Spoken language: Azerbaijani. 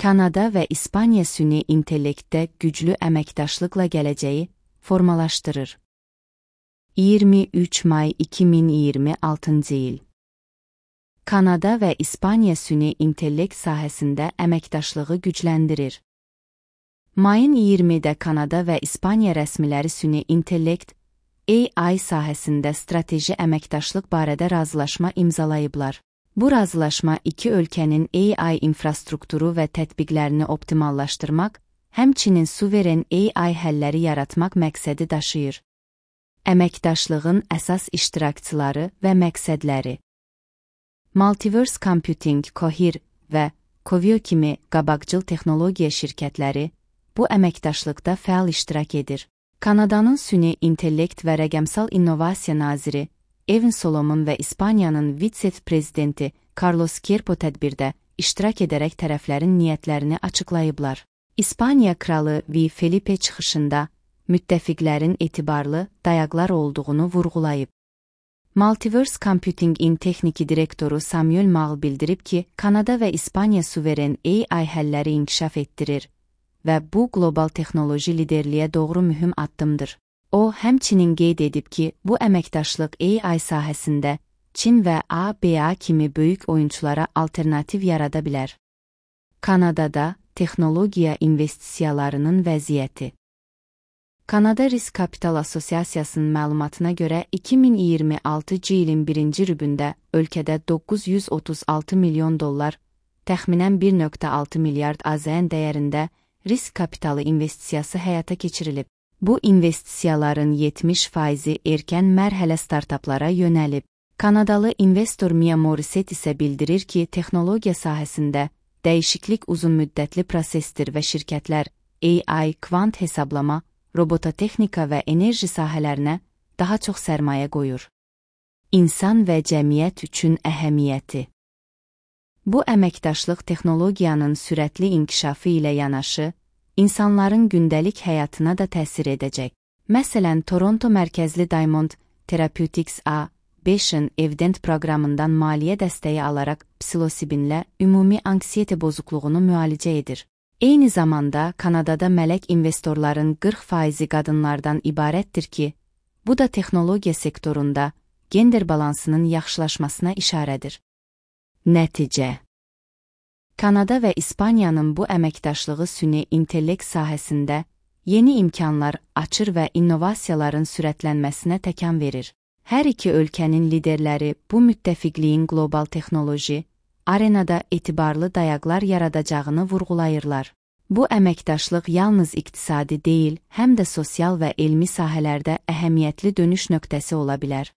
Kanada və İspaniya süni intellektdə güclü əməkdaşlıqla gələcəyi formalaşdırır. 23 may 2026 il. Kanada və İspaniya süni intellekt sahəsində əməkdaşlığı gücləndirir. Mayın 20-də Kanada və İspaniya rəsmiləri süni intellekt AI sahəsində strateji əməkdaşlıq barədə razılaşma imzalayıblar. Bu razılaşma iki ölkənin AI infrastrukturu və tətbiqlərini optimallaşdırmaq, həmçinin suveren AI həlləri yaratmaq məqsədi daşıyır. Əməkdaşlığın əsas iştirakçıları və məqsədləri. Multiverse Computing, Cohere və Coveo kimi qabaqcıl texnologiya şirkətləri bu əməkdaşlıqda fəal iştirak edir. Kanadanın süni intellekt və rəqəmsal innovasiya naziri Evan Solomon və İspaniyanın vitse-prezidenti Carlos Querpo tədbirdə iştirak edərək tərəflərin niyyətlərini açıqlayıblar. İspaniya kralı V. Felipe çıxışında müttəfiqlərin etibarlı dayaqlar olduğunu vurğulayıb. Multiverse Computing-in texniki direktoru Samuel Mal bildirib ki, Kanada və İspaniya suveren AI həlləri inkişaf etdirir və bu qlobal texnoloji liderliyə doğru mühüm addımdır. O, həmçinin qeyd edib ki, bu əməkdaşlıq AI sahəsində Çin və ABA kimi böyük oyunçulara alternativ yarada bilər. Kanadada texnologiya investisiyalarının vəziyyəti. Kanada Risk Kapital Assosiasiyasının məlumatına görə 2026 ilin birinci rübündə ölkədə $936 milyon, təxminən 1,6 milyard AZN dəyərində risk kapitalı investisiyası həyata keçirilib. Bu investisiyaların 70%-i erkən mərhələ startaplara yönəlib. Kanadalı investor Mia Morissette isə bildirir ki, texnologiya sahəsində dəyişiklik uzunmüddətli prosesdir və şirkətlər AI, kvant hesablama, robototexnika və enerji sahələrinə daha çox sərmayə qoyur. İnsan və cəmiyyət üçün əhəmiyyəti. Bu əməkdaşlıq texnologiyanın sürətli inkişafı ilə yanaşı, insanların gündəlik həyatına da təsir edəcək. Məsələn, Toronto mərkəzli Diamond Therapeutics A5-in Evident proqramından maliyyə dəstəyi alaraq psilosibinlə ümumi anksiyete bozukluğunu müalicə edir. Eyni zamanda, Kanadada mələk investorların 40%-i qadınlardan ibarətdir ki, bu da texnologiya sektorunda gender balansının yaxşılaşmasına işarədir. Nəticə. Kanada və İspaniyanın bu əməkdaşlığı süni intellekt sahəsində yeni imkanlar açır və innovasiyaların sürətlənməsinə təkan verir. Hər iki ölkənin liderləri bu müttəfiqliyin qlobal texnoloji arenada etibarlı dayaqlar yaradacağını vurğulayırlar. Bu əməkdaşlıq yalnız iqtisadi deyil, həm də sosial və elmi sahələrdə əhəmiyyətli dönüş nöqtəsi ola bilər.